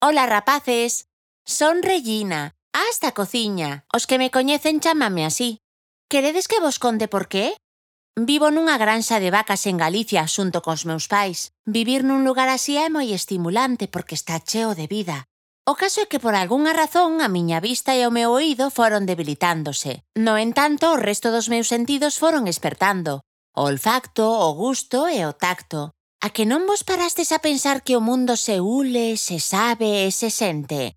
Ola, rapaces. Son Regina, hasta cociña. Os que me coñecen chámame así. Queredes que vos conte por qué? Vivo nunha granxa de vacas en Galicia xunto cos meus pais. Vivir nun lugar así é moi estimulante porque está cheo de vida. O caso é que por algunha razón a miña vista e o meu oído foron debilitándose. No entanto, o resto dos meus sentidos foron espertando. O olfacto, o gusto e o tacto. A que non vos parastes a pensar que o mundo se ule, se sabe e se sente?